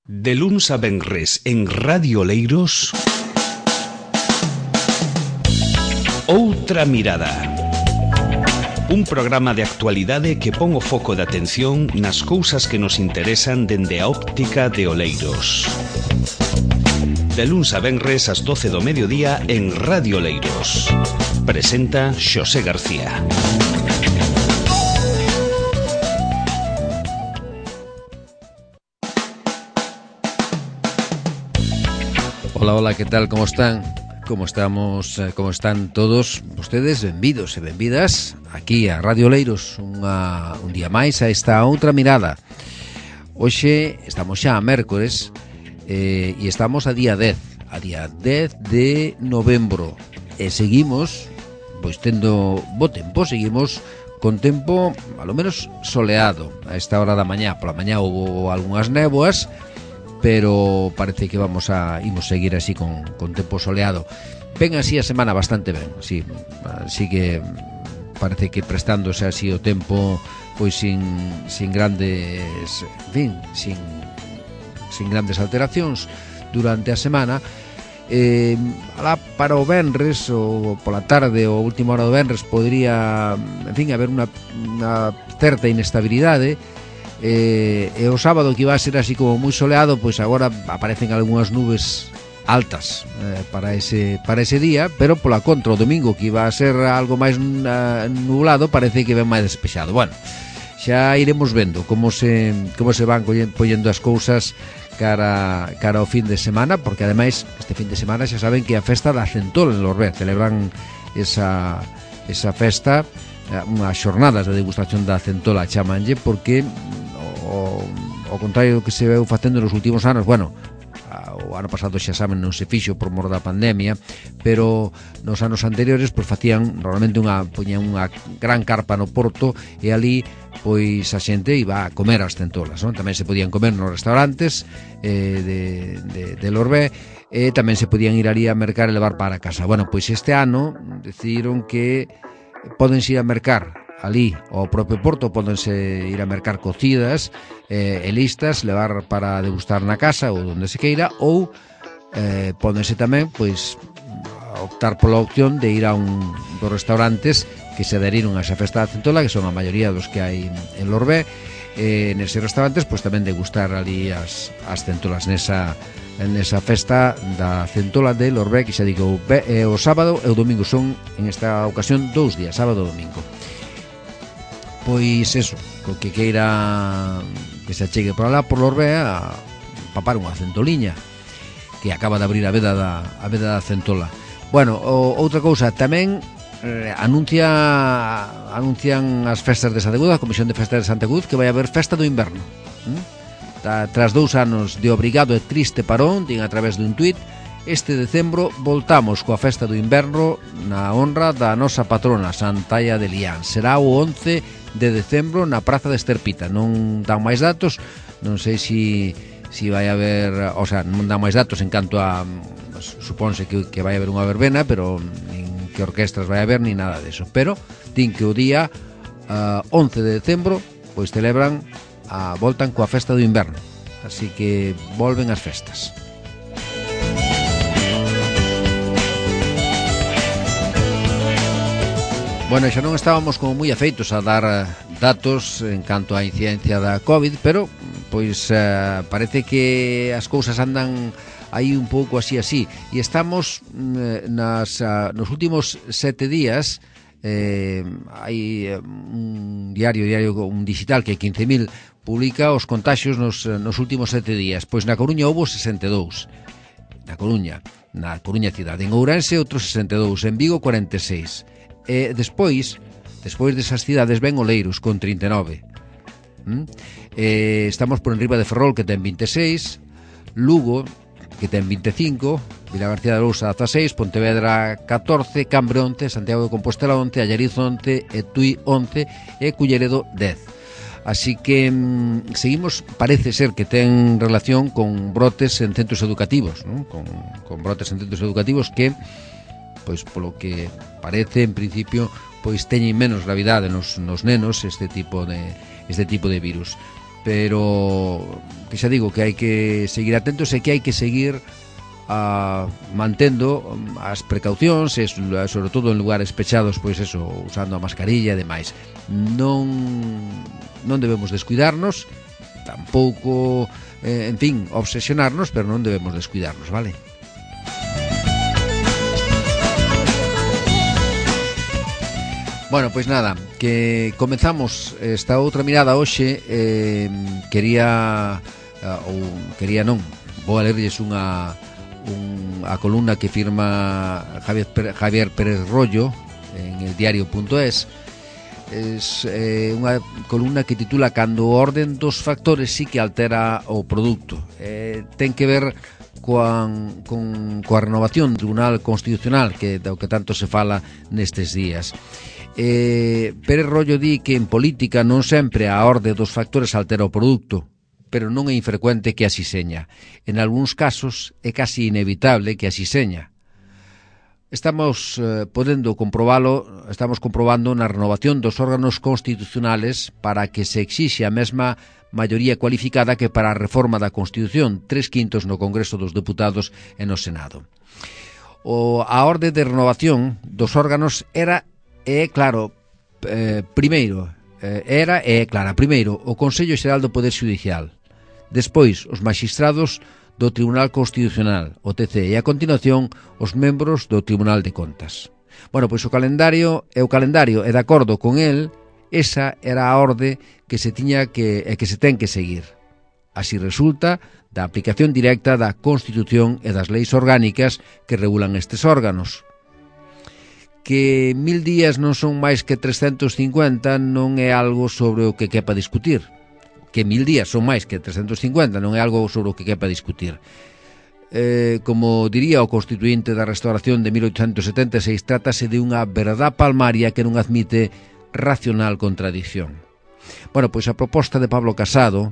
De luns a venres en Radio Oleiros, Outra Mirada. Un programa de actualidade que pon o foco de atención nas cousas que nos interesan dende a óptica de Oleiros. De luns a venres ás 12 do mediodía en Radio Oleiros. Presenta Xosé García. Hola, ¿qué tal? ¿Cómo están? ¿Cómo estamos? ¿Cómo están todos vostedes? Benvidos e benvidas aquí a Radio Oleiros un día máis a esta Outra Mirada. Hoxe estamos xa a mércores e estamos a día 10 de novembro e seguimos pois tendo bo tempo, seguimos con tempo a lo menos soleado a esta hora da mañá. Pola mañá houve algunhas néboas, pero parece que imos seguir así con tempo soleado. Ven así a semana bastante ben, sí, así que parece que prestándose así o tempo pois sin grandes, en fin, sin grandes alteracións durante a semana. Alá para o venres ou pola tarde ou última hora do venres podría, en fin, haber unha certa inestabilidade. E o sábado, que iba a ser así como moi soleado, pois agora aparecen algunhas nubes altas para ese día, pero pola contra o domingo, que iba a ser algo máis nublado, parece que ven máis despexado. Bueno, xa iremos vendo como se van poñendo as cousas cara ao fin de semana, porque ademais este fin de semana xa saben que a festa da Centola en Lorbé celebran esa festa, unhas xornadas de degustación da Centola, chamanlle, porque ao contrario do que se veu facendo nos últimos anos, bueno, o ano pasado xa saben non se fixo por mor da pandemia, pero nos anos anteriores pois facían normalmente poñían unha gran carpa no porto e ali pois a xente iba a comer as centolas, non? Tamén se podían comer nos restaurantes de Lorbé, e tamén se podían ir ali a mercar e levar para casa. Bueno, pois este ano decidiron que podense ir a mercar ali ao propio porto, pódense ir a mercar cocidas e listas, levar para degustar na casa ou onde se queira, ou pódense tamén pois optar pola opción de ir a dos restaurantes que se adheriron a esa festa da Centola, que son a maioría dos que hai en Lorbé. Neses restaurantes pois tamén degustar ali as centolas nesa festa da Centola de Lorbé, que xa digo o sábado e o domingo. Son en esta ocasión 2 días, sábado e domingo. Pois eso, co que queira que se achegue por alá por Lorbé a papar unha centoliña, que acaba de abrir a veda da Centola. Bueno, outra cousa, tamén anuncian as festas de Santa Cruz, a Comisión de Festas de Santa Cruz, que vai haber festa do inverno. Tras 2 anos de obrigado e triste parón, din a través dun tuit, este decembro voltamos coa festa do inverno na honra da nosa patrona Santaia de Lián. Será o 11 de decembro na Praza de Esterpita. Non dan máis datos, non sei si vai haber, o sea, non dan máis datos en canto a, supónse que vai haber unha verbena, pero nin que orquestras vai haber, ni nada deso. Pero din que o día 11 de decembro pois celebran voltan coa festa do inverno, así que volven as festas. Bueno, xa non estábamos como moi afeitos a dar datos en canto á incidencia da COVID, pero pois parece que as cousas andan aí un pouco así, e estamos nos últimos 7 días. Hai un diario un digital que 15.000 publica os contaxios nos últimos 7 días. Pois na Coruña houbo 62, na Coruña cidade. En Ourense outros 62, en Vigo 46. Despois desas cidades ven Oleiros con 39. Estamos por enriba de Ferrol, que ten 26, Lugo, que ten 25, Vilagarcía de Arousa 16, Pontevedra 14, Cambre 11, Santiago de Compostela 11, Allariz 11, e Tui 11 e Culleredo 10. Así que seguimos, parece ser que ten relación con brotes en centros educativos, ¿no? Con brotes en centros educativos que, pois polo que parece, en principio, pois teñen menos gravidade nos nenos este tipo de virus. pero que que xa digo que hai que seguir atentos e que hai que seguir mantendo as precaucións, sobre todo en lugares pechados, pois eso, usando a mascarilla e demais. Non debemos descuidarnos, tampouco, en fin, obsesionarnos, pero non debemos descuidarnos, vale? Bueno, pois nada, que comezamos esta outra mirada hoxe. Quería non, vou a lerlles a columna que firma Javier Pérez Rollo en el diario.es. Es unha columna que titula Cando o orden dos factores sí que altera o produto. Ten que ver coa renovación do Tribunal Constitucional, do que tanto se fala nestes días. Pérez Rollo di que en política non sempre a orde dos factores altera o produto, pero non é infrecuente que así seña. En algúns casos é casi inevitable que así seña. Estamos comprobando na renovación dos órganos constitucionales para que se exixe a mesma maioría cualificada que para a reforma da Constitución, 3/5 no Congreso dos Deputados e no Senado. A orde de renovación dos órganos primeiro o Consello Xeral do Poder Xudicial, despois os magistrados do Tribunal Constitucional, o TC, e a continuación os membros do Tribunal de Contas. Bueno, pois o calendario e de acordo con el, esa era a orde que se ten que seguir. Así resulta da aplicación directa da Constitución e das leis orgánicas que regulan estes órganos. Que 1000 días non son máis que 350 non é algo sobre o que quepa discutir. Que 1000 días son máis que 350 non é algo sobre o que quepa discutir. Como diría o constituinte da Restauración de 1876, trátase de unha verdad palmaria que non admite racional contradicción. Bueno, pois a proposta de Pablo Casado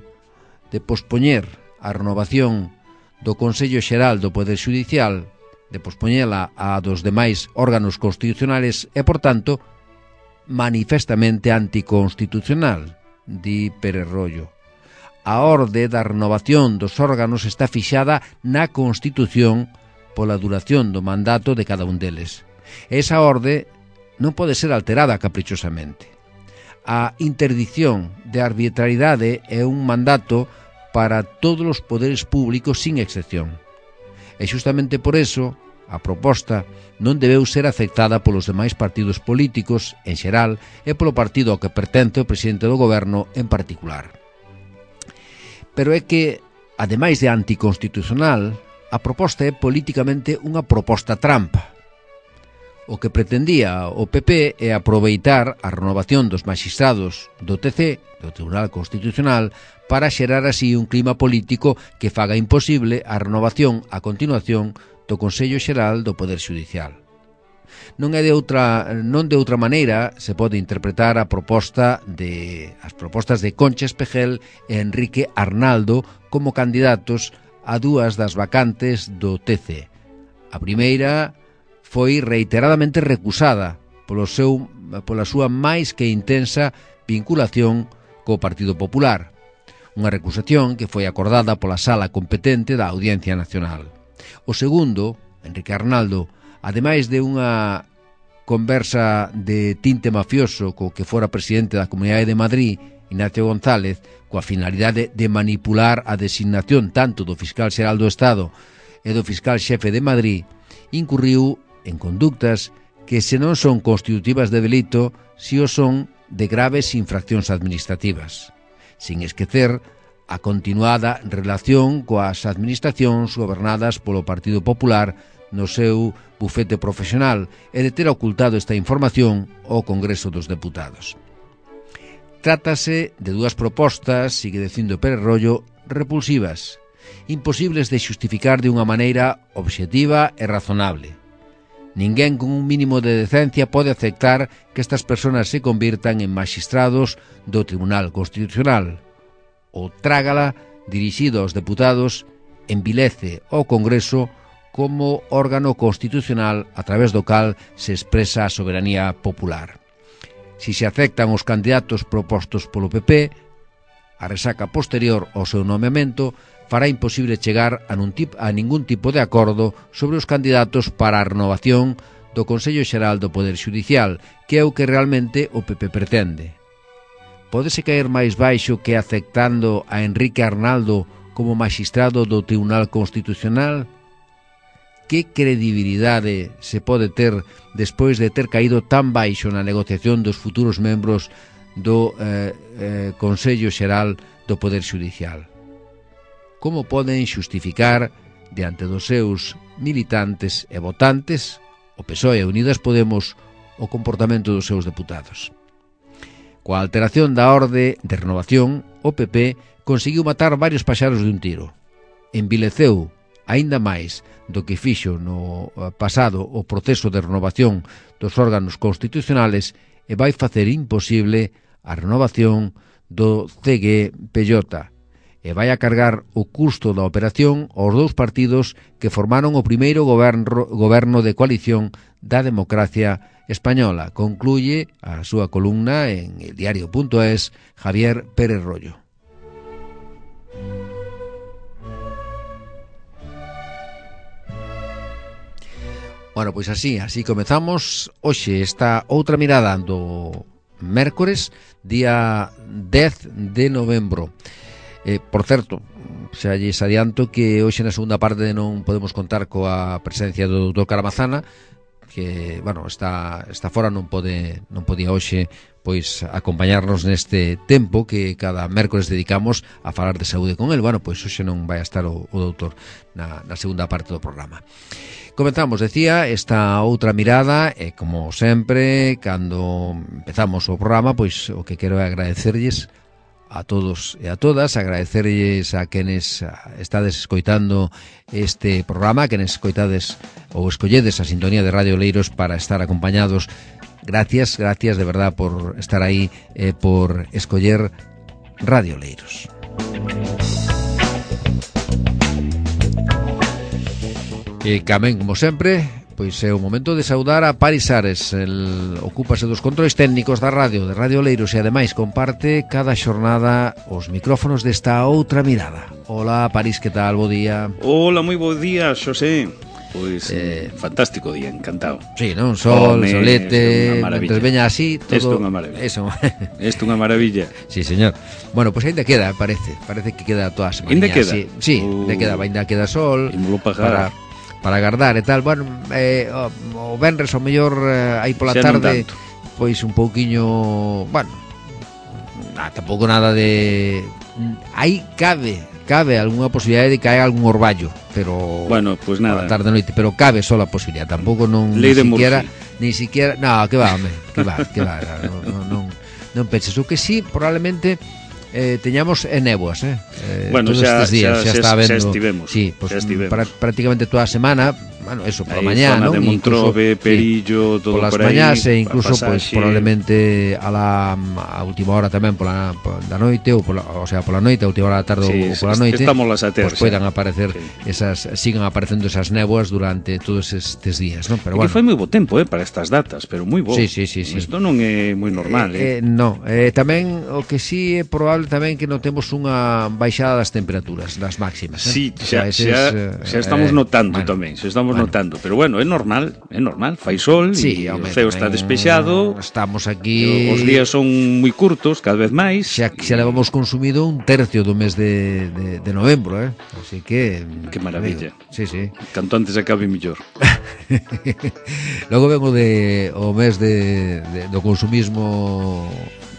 de pospoñer a renovación do Consello Xeral do Poder Xudicial, de pospoñela a dos demais órganos constitucionales é, por tanto, manifestamente anticonstitucional, di Pérez Rollo. A orde da renovación dos órganos está fixada na Constitución pola duración do mandato de cada un deles. Esa orde non pode ser alterada caprichosamente. A interdicción de arbitrariedade é un mandato para todos os poderes públicos sin excepción. E xustamente por eso a proposta non debeu ser aceptada polos demais partidos políticos en xeral e polo partido ao que pertence o presidente do goberno en particular. Pero é que, ademais de anticonstitucional, a proposta é políticamente unha proposta trampa. O que pretendía o PP é aproveitar a renovación dos magistrados do TC, do Tribunal Constitucional, para xerar así un clima político que faga imposible a renovación a continuación do Consello Xeral do Poder Xudicial. Non de outra maneira se pode interpretar as propostas de Concha Espejel e Enrique Arnaldo como candidatos a dúas das vacantes do TC. A primeira foi reiteradamente recusada pola súa máis que intensa vinculación co Partido Popular, unha recusación que foi acordada pola sala competente da Audiencia Nacional. O segundo, Enrique Arnaldo, ademais de unha conversa de tinte mafioso co que fora presidente da Comunidade de Madrid, Ignacio González, coa finalidade de manipular a designación tanto do fiscal xeral do Estado e do fiscal xefe de Madrid, incurriu en conductas que se non son constitutivas de delito, si o son de graves infraccións administrativas, sin esquecer a continuada relación coas administracións gobernadas polo Partido Popular no seu bufete profesional e de ter ocultado esta información ao Congreso dos Deputados. Trátase de dúas propostas, sigue dicindo Pérez Rollo, repulsivas, imposibles de xustificar de unha maneira obxectiva e razonable. Ninguén con un mínimo de decencia pode aceptar que estas persoas se convirtan en magistrados do Tribunal Constitucional. O trágala, dirixido aos deputados, envilece ao Congreso como órgano constitucional a través do cal se expresa a soberanía popular. Si se aceptan os candidatos propostos polo PP, a resaca posterior ao seu nomeamento fará imposible chegar a ningún tipo de acordo sobre os candidatos para a renovación do Consello Xeral do Poder Xudicial, que é o que realmente o PP pretende. Pódese caer máis baixo que aceptando a Enrique Arnaldo como magistrado do Tribunal Constitucional? Que credibilidade se pode ter despois de ter caído tan baixo na negociación dos futuros membros do Consello Xeral do Poder Xudicial? Como poden xustificar diante dos seus militantes e votantes, o PSOE e Unidas Podemos, o comportamento dos seus deputados? Coa alteración da orde de renovación, o PP conseguiu matar varios paxaros de un tiro. Envileceu aínda máis do que fixo no pasado o proceso de renovación dos órganos constitucionales e vai facer imposible a renovación do CGPJ e vai a cargar o custo da operación aos dous partidos que formaron o primeiro goberno de coalición da democracia española. Concluye a súa columna en eldiario.es Javier Pérez Rollo. Bueno, pois así comezamos hoxe esta outra mirada do mércores, día 10 de novembro. Por certo, xa lles adianto que hoxe na segunda parte non podemos contar coa presencia do Dr. Caramazana, que, bueno, está fora, non podía hoxe pois acompañarnos neste tempo que cada mércores dedicamos a falar de saúde con el. Bueno, pois hoxe non vai a estar o doutor na segunda parte do programa. Comenzamos, decía, esta outra mirada e, como sempre, cando empezamos o programa, pois o que quero é agradecerlles a todos e a todas, agradecerlles a quenes estades escoitando este programa, a quenes escoitades ou escolledes a sintonía de Radio Oleiros para estar acompañados. Gracias de verdad por estar aí e por escoller Radio Oleiros. E tamén, como sempre, pois é o momento de saudar a Paris Ares. El ocúpase dos controles técnicos da radio, de Radio Oleiros, e ademais comparte cada xornada os micrófonos desta outra mirada. Hola, Paris, que tal? Bo día. Hola, moi bo día, Xosé. Pois, fantástico día, encantado. Sí, non? Sol, solete, mentre veña así, todo... Isto é unha maravilla. Isto é unha maravilla. Sí, señor. Bueno, pois ainda queda, parece que queda toda a semana. Ainda queda? Sí, ainda queda sol. Imolo pagar. Para agardar e tal. Bueno, o venres ao mellor aí pola tarde, pois un pouquiño, bueno, tampouco nada de... Aí cabe algunha posibilidade de caer algún orballo, pero bueno, pois nada, tarde noite, pero cabe só a posibilidade, tampouco non ni siquiera, no, que va, non penses. O que sí, probablemente teñamos néboas, bueno, todos estes días xa está vendo, xa estivemos, sí, pues, prácticamente toda a semana, bueno, eso, por a mañá, ¿no? De Montrove, Perillo, todo por por aí. Polas mañás e incluso, pues, probablemente a última hora tamén pola noite, ou pola noite, a última hora da tarde, ou pola noite, pues poidan aparecer sigan aparecendo esas néboas durante todos estes días, ¿no? Pero bueno, que foi moi bo tempo, para estas datas, pero moi bo. Sí. Isto non é moi normal, No, tamén o que sí é probable tamén que notemos unha baixada das temperaturas, das máximas. Sí, xa estamos notando tamén, xa estamos notando, pero bueno, é normal, fai sol, e o ceo está despexado. Estamos aquí, os días son moi curtos, cada vez máis. Xa levamos consumido un tercio do mes de novembro, así que... Que maravilla. Sí. Canto antes acabe mellor. Logo vengo o mes do consumismo...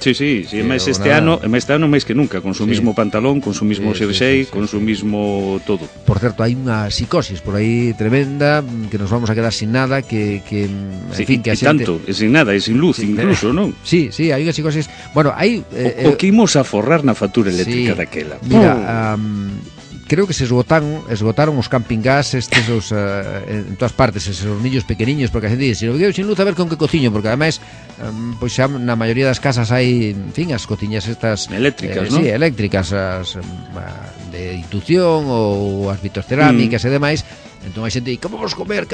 Sí, máis este ano máis que nunca, consumismo pantalón, consumismo xersei, consumismo todo. Por certo, hai unha psicosis por aí tremenda, que nos vamos a quedar sin nada, que en fin, que a xente... tanto, sin nada, e sin luz, incluso, non? Sí, hai unha psicosis. Bueno, hai... O que imos a forrar na factura eléctrica daquela. Mira, creo que se esgotaron os camping gas estes en todas partes, esos hornillos pequeniños, porque a xente dice, se lo quedo sin luz a ver con que cociño, porque ademais pois xa na maioría das casas hai, en fin, as cociñas estas eléctricas, non? Sí, eléctricas, as de inducción ou as vitrocerámicas e demais. Entón a xente di, que vamos comer,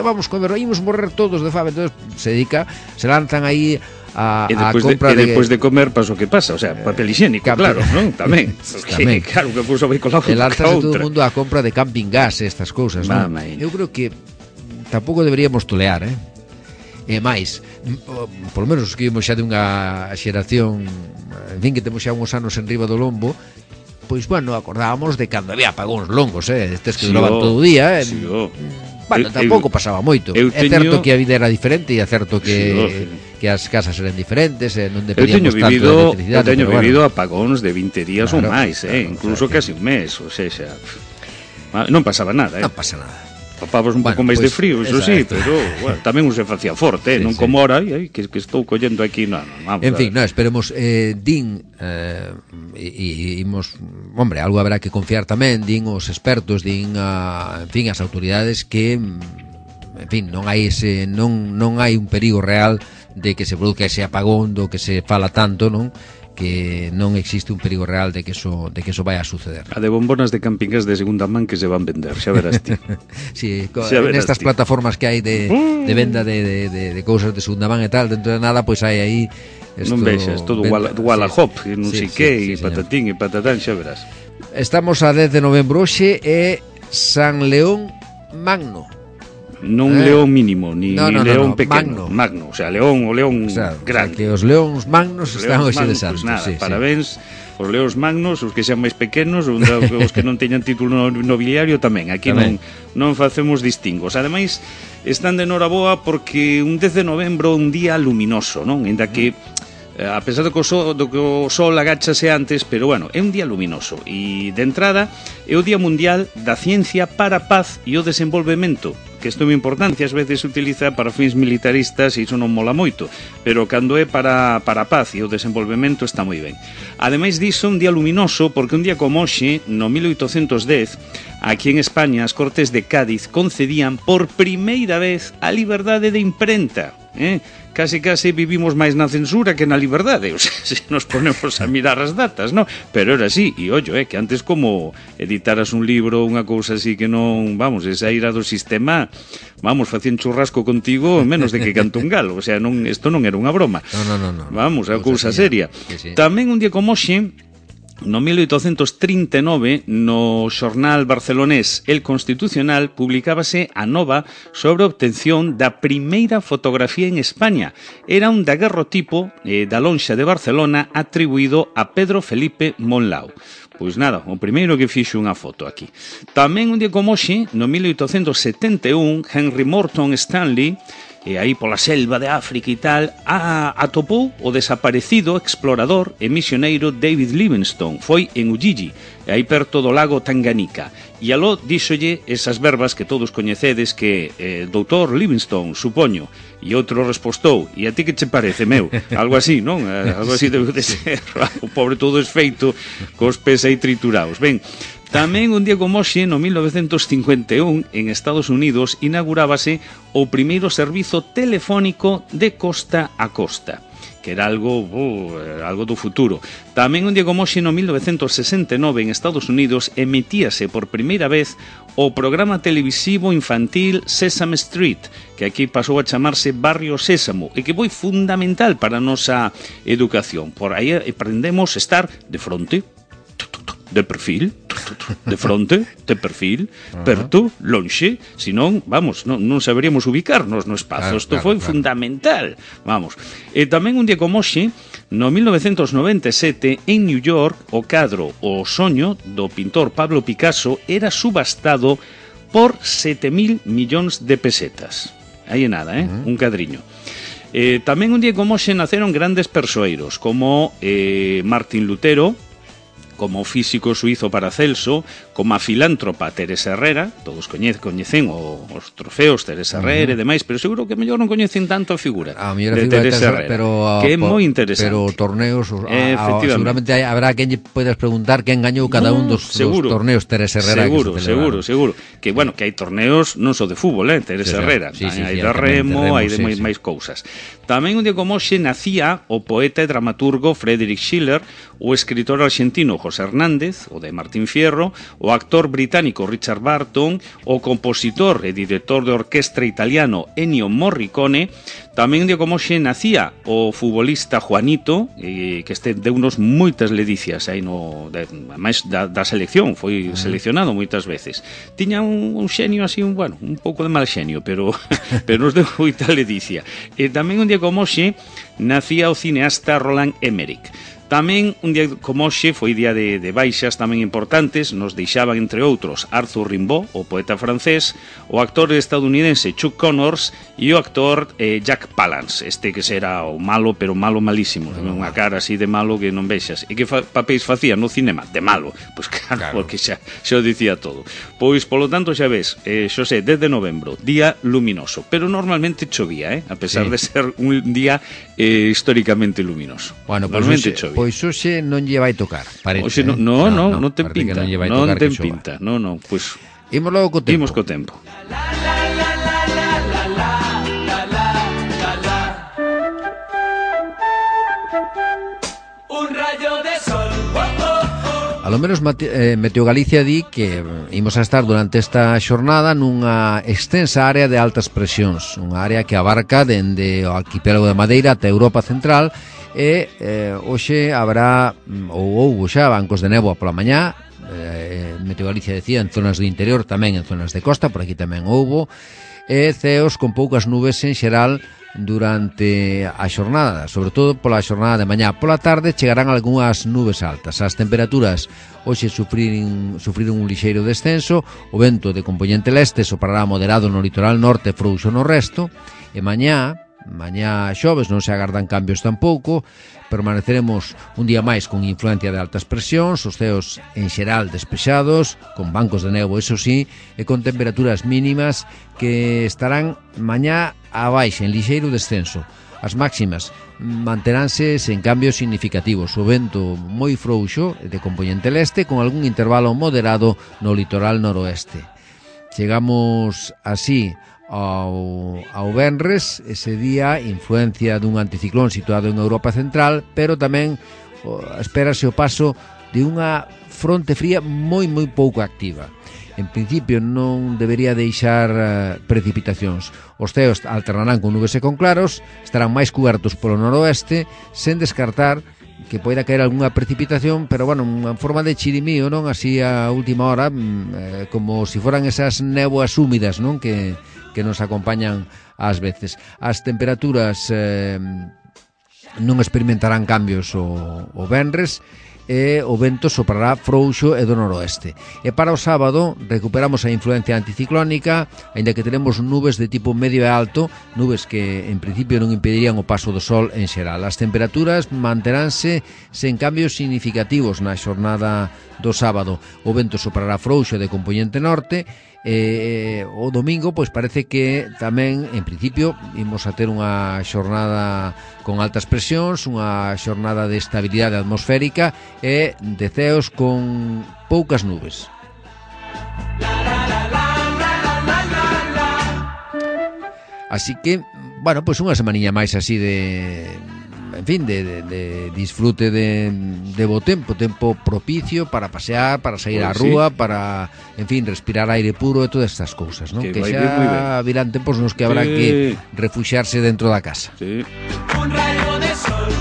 ímos morrer todos de fame. Entón se lanzan aí compra depois de comer pasa o que pasa, o sea, papel higiénico, claro, non? Tamén. Tamén. Claro, que cousa vai con la outra. El alzase todo o mundo a compra de camping gas, estas cousas, non? Eu creo que tampouco deberíamos tolear, E máis, polo menos os que vimos xa de unha xeración, en fin, que temos xa uns anos en riba do lombo, pois, bueno, acordábamos de cando había apagóns longos, estes que duraban todo o día, bueno, tampouco pasaba moito. É certo que a vida era diferente e é certo que as casas eran diferentes, non dependíamos tanto de electricidade. Eu teño vivido apagóns de 20 días ou máis, incluso casi un mes, ou seja, non pasaba nada. Non pasa nada. Papabas un pouco máis de frío, iso sí, pero bueno, tamén se facía forte, non como ahora, que estou collendo aquí, vamos. En fin, esperemos, din, imos, hombre, algo habrá que confiar tamén, din os expertos, din, en fin, as autoridades que, en fin, non hai un perigo real de que se produzca ese apagón do que se fala tanto, non? Que non existe un perigo real de que eso vai a suceder. A de bombonas de camping gas de segunda man que se van vender, xa verás ti. Sí, nestas plataformas que hai de venda de cousas de segunda man e tal, dentro de nada, pois hai aí non vexas, todo Wallahop, non sei que, e patatín e patatán, xa verás. Estamos a 10 de novembro hoxe e San León Magno. Non león mínimo, ni león pequeno, magno, o sea, o león grande. Que os leóns magnos están hoxe de santos. Parabéns os leóns magnos, os que sean máis pequenos, os que non teñan título nobiliario tamén. Aquí non facemos distingos. Ademais, están de noraboa porque un 10 de novembro un día luminoso, non? Ainda que a pesar do que o sol agáchase antes, pero bueno, é un día luminoso e de entrada é o Día Mundial da Ciencia para a Paz e o Desenvolvemento, que isto é moi importante, ás veces se utiliza para fins militaristas e iso non mola moito, pero cando é para a paz e o desenvolvemento está moi ben. Ademais diso, un día luminoso porque un día como hoxe, no 1810, aquí en España as Cortes de Cádiz concedían por primeira vez a liberdade de imprenta, Casi vivimos máis na censura que na liberdade, o sea, se nos ponemos a mirar as datas, non? Pero era así, e ollo, que antes como editaras un libro, unha cousa así que non, vamos, esa ira do sistema, vamos, facían churrasco contigo menos de que canto un galo, o sea, isto non era unha broma. Non. Vamos, a cousa seria. Sí. Tamén un día como hoxe, no 1839, no xornal barcelonés El Constitucional, publicábase a nova sobre a obtención da primeira fotografía en España. Era un daguerrotipo da lonxa de Barcelona atribuído a Pedro Felipe Monlau. Pois nada, o primeiro que fixo unha foto aquí. Tamén un día como hoxe, no 1871, Henry Morton Stanley, e aí pola selva de África e tal, atopou o desaparecido explorador e misioneiro David Livingstone. Foi en Ujiji, aí perto do lago Tanganica. E aló díxolle esas verbas que todos coñecedes que doutor Livingstone, supoño, e outro respostou, e a ti que che parece, meu? Algo así, non? Algo así debe de ser. O pobre todo esfeito, cos pés aí triturados. Ben, tamén un día como hoxe, no 1951, en Estados Unidos, inaugurábase o primeiro servizo telefónico de costa a costa, que era algo do futuro. Tamén un día como hoxe, no 1969, en Estados Unidos, emitíase por primeira vez o programa televisivo infantil Sesame Street, que aquí pasou a chamarse Barrio Sésamo, e que foi fundamental para a nosa educación. Por aí aprendemos a estar de fronte, de perfil, de fronte, de perfil, perto, lonxe, senón, vamos, non saberíamos ubicarnos no espazo. Isto foi fundamental, vamos. E tamén un día como hoxe, no 1997, en New York, o cadro O soño, do pintor Pablo Picasso, era subastado por 7.000 millóns de pesetas. Aí é nada, un cadriño. Tamén un día como hoxe naceron grandes persoeiros, como Martín Lutero, como o físico suizo Paracelso, como a filántropa Teresa Herrera, todos coñecen os trofeos Teresa Herrera e demais, pero seguro que mellor non coñecen tanto a figura de Teresa Herrera, que é moi interesante. Pero torneos, seguramente habrá quen lle podes preguntar quen gañou cada un dos torneos Teresa Herrera. Seguro. Que, bueno, que hai torneos non só de fútbol, Teresa Herrera. Hai de remo, hai de máis cousas. Tamén un día como hoxe nacía o poeta e dramaturgo Friedrich Schiller, o escritor argentino José José Hernández, o de Martín Fierro, o actor británico Richard Burton, o compositor e director de orquestra italiano Ennio Morricone. Tamén de como xe nacía o futbolista Juanito, que deu unos moitas ledicias aí máis da selección, foi seleccionado moitas veces. Tiña un xenio así, un pouco de mal xenio, pero nos deu moita ledicia. E tamén un día como xe nacía o cineasta Roland Emmerich. Tamén un día como hoxe foi día de baixas tamén importantes. Nos deixaban, entre outros, Arthur Rimbaud, o poeta francés, o actor estadounidense Chuck Connors e o actor Jack Palance, que será o malo, pero malo malísimo, unha cara así de malo que non vexas. E que papéis facía no cinema? De malo. Pois claro, porque xa o dicía todo. Pois, polo tanto, xa ves, Xosé, desde novembro, día luminoso, pero normalmente chovía, a pesar de ser un día históricamente luminoso. Bueno, normalmente chovía. Pois hoxe non lle vai tocar, parece. Hoxe non ten pinta. Non ten pinta. Non, pois imos logo co tempo. Imos co tempo. Un rayo de sol. A lo menos Meteo Galicia di que imos a estar durante esta xornada nunha extensa área de altas presións, unha área que abarca dende o arquipélago de Madeira ata Europa Central. E hoxe habrá ou houbo xa bancos de néboa pola mañá. Meteo Galicia decía en zonas do interior, tamén en zonas de costa, por aquí tamén houbo, e ceos con poucas nubes en xeral durante a xornada, sobre todo pola xornada de mañá. Pola tarde chegarán algunhas nubes altas. As temperaturas hoxe sufriron un lixeiro descenso. O vento de compoñente leste soprará moderado no litoral norte, frouxo no resto. E mañá xoves non se agardan cambios tampouco. Permaneceremos un día máis con influencia de altas presións, os ceos en xeral despexados, con bancos de néboa, eso sí, e con temperaturas mínimas que estarán mañá abaixo, en lixeiro descenso. As máximas manteránse sen cambios significativos. O vento moi frouxo de compoñente leste, con algún intervalo moderado no litoral noroeste. Chegamos así ao venres, ese día, influencia dun anticiclón situado en Europa Central, pero tamén espérase o paso de unha fronte fría moi pouco activa. En principio non debería deixar precipitacións. Os ceos alternarán con nubes e con claros, estarán máis cubertos polo noroeste, sen descartar que poida caer algunha precipitación, pero unha forma de chirimío, non? Así a última hora, como se foran esas néboas húmidas, non? Que nos acompañan ás veces. As temperaturas non experimentarán cambios o venres, e o vento soprará frouxo e do noroeste. E para o sábado recuperamos a influencia anticiclónica, aínda que teremos nubes de tipo medio e alto, nubes que en principio non impedirían o paso do sol en xeral. As temperaturas manteránse sen cambios significativos na xornada do sábado. O vento soprará frouxo de compoñente norte. O domingo pois parece que tamén en principio imos a ter unha xornada con altas presións, unha xornada de estabilidade atmosférica e de ceos con poucas nubes. Así que, pois unha semaniña máis así de disfrute de bo tempo propicio para pasear, para sair á rúa, para, respirar aire puro e todas estas cousas, non? Que xa virán tempos nos que habrá que refuxiarse dentro da casa. Sí. Un rayo de sol.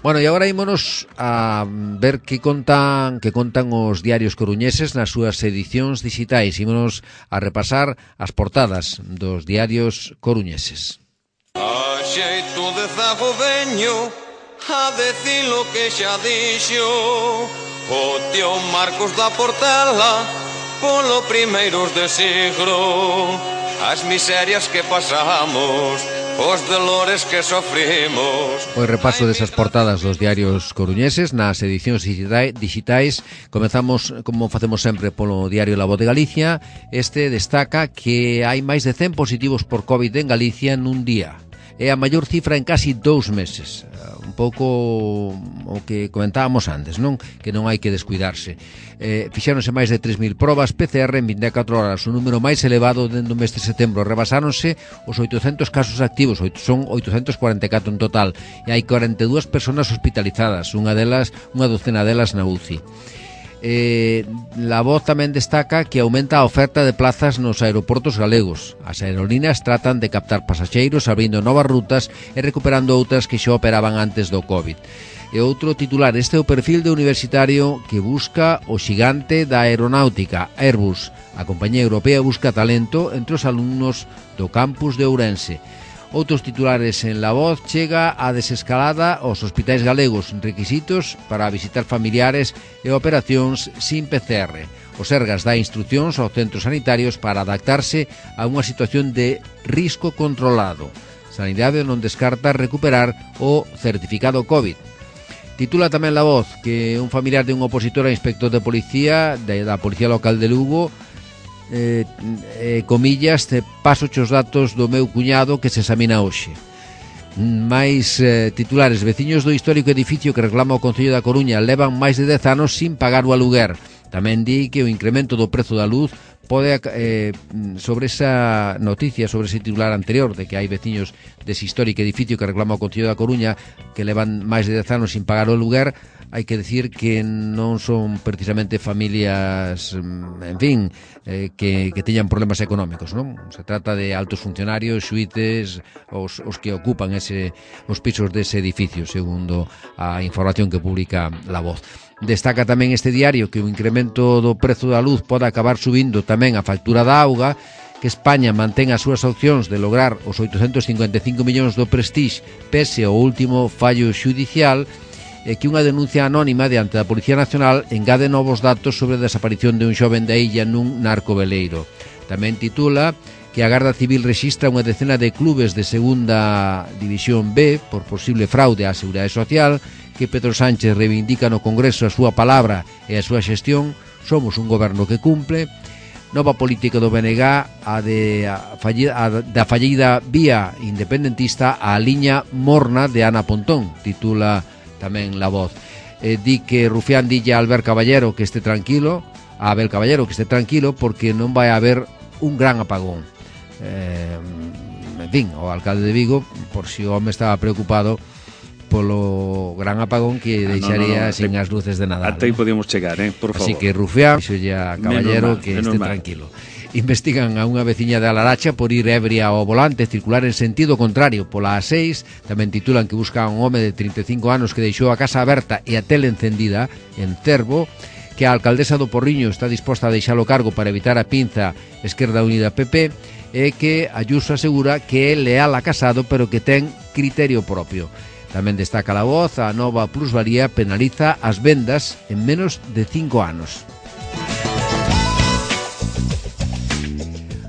Bueno, e agora ímonos a ver que contan os diarios coruñeses nas súas edicións digitais. Ímonos a repasar as portadas dos diarios coruñeses. A xeito de zago veño a decir lo que xa dixo o tío Marcos da Portela polo primeiros de siglo, as miserias que pasamos, os dolores que sofrimos. O repaso desas portadas dos diarios coruñeses nas edicións digitais. Comezamos, como facemos sempre, polo diario La Voz de Galicia. Este destaca que hai máis de 100 positivos por COVID en Galicia nun día. É a maior cifra en casi 2 meses. Un pouco o que comentábamos antes, non? Que non hai que descuidarse. Fixáronse máis de 3.000 probas PCR en 24 horas, o número máis elevado dentro do mes de setembro. Rebasáronse os 800 casos activos, son 844 en total, e hai 42 persoas hospitalizadas, unha docena delas na UCI. La Voz tamén destaca que aumenta a oferta de plazas nos aeroportos galegos. As aerolíneas tratan de captar pasaxeiros abrindo novas rutas e recuperando outras que xa operaban antes do COVID. E outro titular, este é o perfil de universitario que busca o xigante da aeronáutica, Airbus. A compañía europea busca talento entre os alumnos do campus de Ourense. Outros titulares en La Voz: chega a desescalada aos hospitais galegos, requisitos para visitar familiares e operacións sin PCR. O Sergas dá instruccións aos centros sanitarios para adaptarse a unha situación de risco controlado. Sanidade non descarta recuperar o certificado COVID. Titula tamén La Voz que un familiar de un opositor a inspector de policía da Policía Local de Lugo, comillas, paso os datos do meu cuñado que se examina hoxe. Máis titulares: veciños do histórico edificio que reclama o Concello da Coruña levan máis de 10 anos sin pagar o aluguer. Tamén di que o incremento do prezo da luz pode, sobre esa noticia, sobre ese titular anterior de que hai veciños dese histórico edificio que reclama o Concello da Coruña que levan máis de 10 anos sin pagar o aluguer, hai que decir que non son precisamente familias, en fin, que teñan problemas económicos, non? Se trata de altos funcionarios, xuíces, os que ocupan os pisos dese edificio, segundo a información que publica La Voz. Destaca tamén este diario que o incremento do prezo da luz pode acabar subindo tamén a factura da auga, que España mantén as súas opcións de lograr os 855 millóns do Prestige pese ao último fallo xudicial, e que unha denuncia anónima diante da Policía Nacional engade novos datos sobre a desaparición de un xoven da illa nun narcoveleiro. Tamén titula que a Garda Civil rexistra unha decena de clubes de segunda división B por posible fraude á Seguridade Social, que Pedro Sánchez reivindica no Congreso a súa palabra e a súa xestión. Somos un goberno que cumple. Nova política do BNG, da fallida vía independentista á liña morna de Ana Pontón, titula tamén La Voz. Di que Rufián dille a Albert Caballero que este tranquilo, porque non vai haber un gran apagón. En fin, o alcalde de Vigo, por si o home estaba preocupado polo gran apagón que deixaría sin as luces de Nadal. Até aí podíamos chegar, por favor. Así que Rufián, dixolle a Caballero que este tranquilo. Investigan a unha veciña de Alaracha por ir ebria ao volante, circular en sentido contrario pola A6. Tamén titulan que buscan a un home de 35 anos que deixou a casa aberta e a tele encendida en Cervo, que a alcaldesa do Porriño está disposta a deixar o cargo para evitar a pinza Esquerda Unida PP, e que Ayuso asegura que é leal a Casado pero que ten criterio propio. Tamén destaca La Voz, a nova plusvalía penaliza as vendas en menos de 5 anos.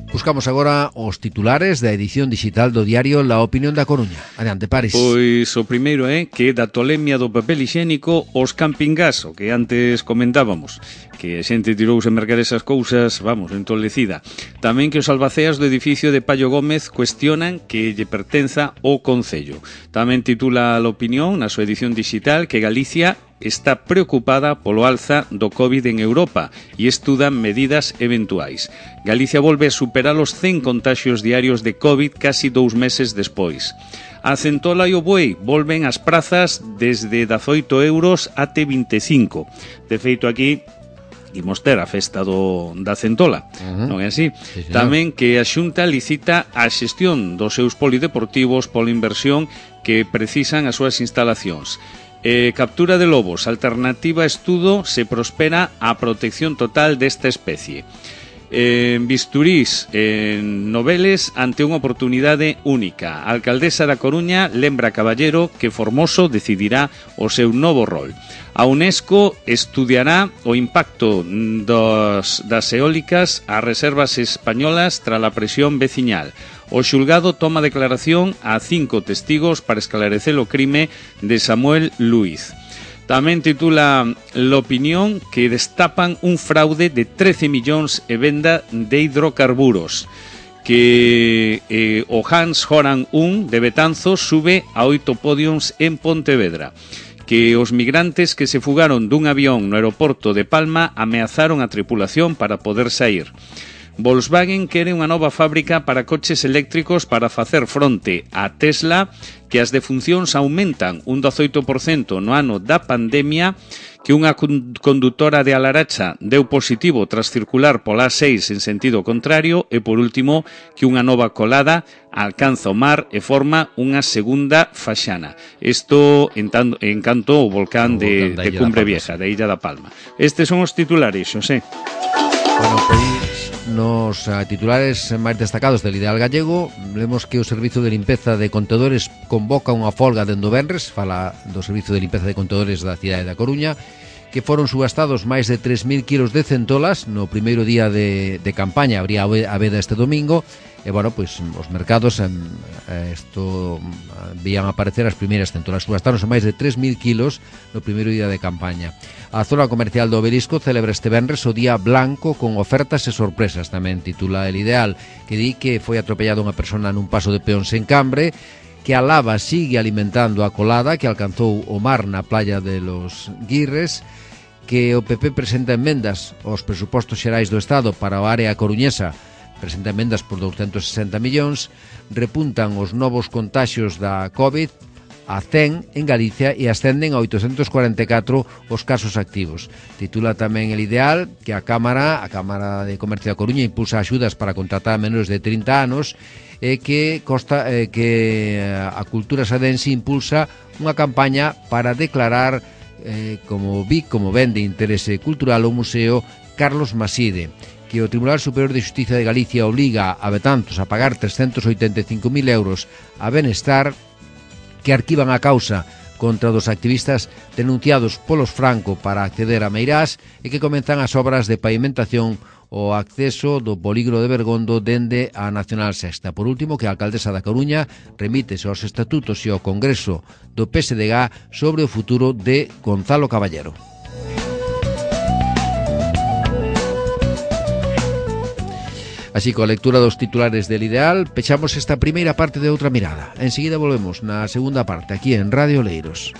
Buscamos agora os titulares da edición digital do diario La Opinión da Coruña. Adiante, Paris. Pois o primeiro é que da tolemia do papel higiénico os campingás, o que antes comentábamos, que a xente tirouse a mercar esas cousas, entolecida. Tamén que os albaceas do edificio de Payo Gómez cuestionan que lle pertenza ao Concello. Tamén titula La Opinión, na súa edición digital, que Galicia está preocupada polo alza do COVID en Europa e estuda medidas eventuais. Galicia volve a superar os 100 contaxios diarios de COVID casi 2 meses despois. A centola e o buey volven ás prazas desde 18 euros até 25. De feito, aquí imos ter a festa da centola, non é así? Sí, tamén que a Xunta licita a xestión dos seus polideportivos pola inversión que precisan as súas instalacións. Captura de lobos, alternativa estudo se prospera a protección total desta especie. Bisturís noveles ante unha oportunidade única. A alcaldesa da Coruña lembra a Caballero que Formoso decidirá o seu novo rol. A UNESCO estudiará o impacto das eólicas ás reservas españolas tras a presión veciñal. O xulgado toma declaración a 5 testigos para esclarecer o crime de Samuel Luiz. Tamén titula La Opinión que destapan un fraude de 13 millóns e venda de hidrocarburos. que o Hans Horan 1 de Betanzos sube a 8 podiums en Pontevedra, que os migrantes que se fugaron dun avión no aeroporto de Palma ameazaron a tripulación para poder sair. Volkswagen quere unha nova fábrica para coches eléctricos para facer fronte a Tesla, que as defuncións aumentan un 18% no ano da pandemia, que unha condutora de Alaracha deu positivo tras circular pola A6 en sentido contrario e, por último, que unha nova colada alcanza o mar e forma unha segunda faxana. Isto en canto o volcán de Cumbre Vieja, de Illa da Palma. Estes son os titulares, Xosé. Bueno, pois nos titulares máis destacados del Ideal Gallego vemos que o Servizo de Limpeza de Contedores convoca unha folga dende o venres, fala do Servizo de Limpeza de Contedores da cidade da Coruña, que foron subastados máis de 3.000 kilos de centolas no primeiro día de campaña, habría a veda este domingo, e, bueno, pois os mercados vían aparecer as primeiras centolas. Subastaronse máis de 3.000 kilos no primeiro día de campaña. A zona comercial do Obelisco celebra este venres o Día Blanco con ofertas e sorpresas, tamén titula El Ideal, que di que foi atropellada unha persona nun paso de peóns en Cambre, que a lava sigue alimentando a colada que alcanzou o mar na playa de los Guirres, que o PP presenta enmendas aos presupostos xerais do Estado para a área coruñesa, presenta emendas por 260 millóns, repuntan os novos contaxios da COVID a 100 en Galicia e ascenden a 844 os casos activos. Titula tamén El Ideal que a Cámara de Comercio da Coruña impulsa axudas para contratar a menores de 30 anos e que a Cultura Sadense impulsa unha campaña para declarar como ben de interese cultural o Museo Carlos Maside, que o Tribunal Superior de Xustiza de Galicia obliga a Betanzos a pagar 385.000 euros a Benestar, que arquivan a causa contra dos activistas denunciados polos Franco para acceder a Meirás e que comenzan as obras de pavimentación o acceso do polígono de Bergondo dende a Nacional Sexta. Por último, que a alcaldesa da Coruña remítese aos estatutos e ao Congreso do PSDG sobre o futuro de Gonzalo Caballero. Así, coa lectura dos titulares del Ideal, pechamos esta primeira parte de Outra Mirada. Enseguida volvemos na segunda parte, aquí en Radio Oleiros.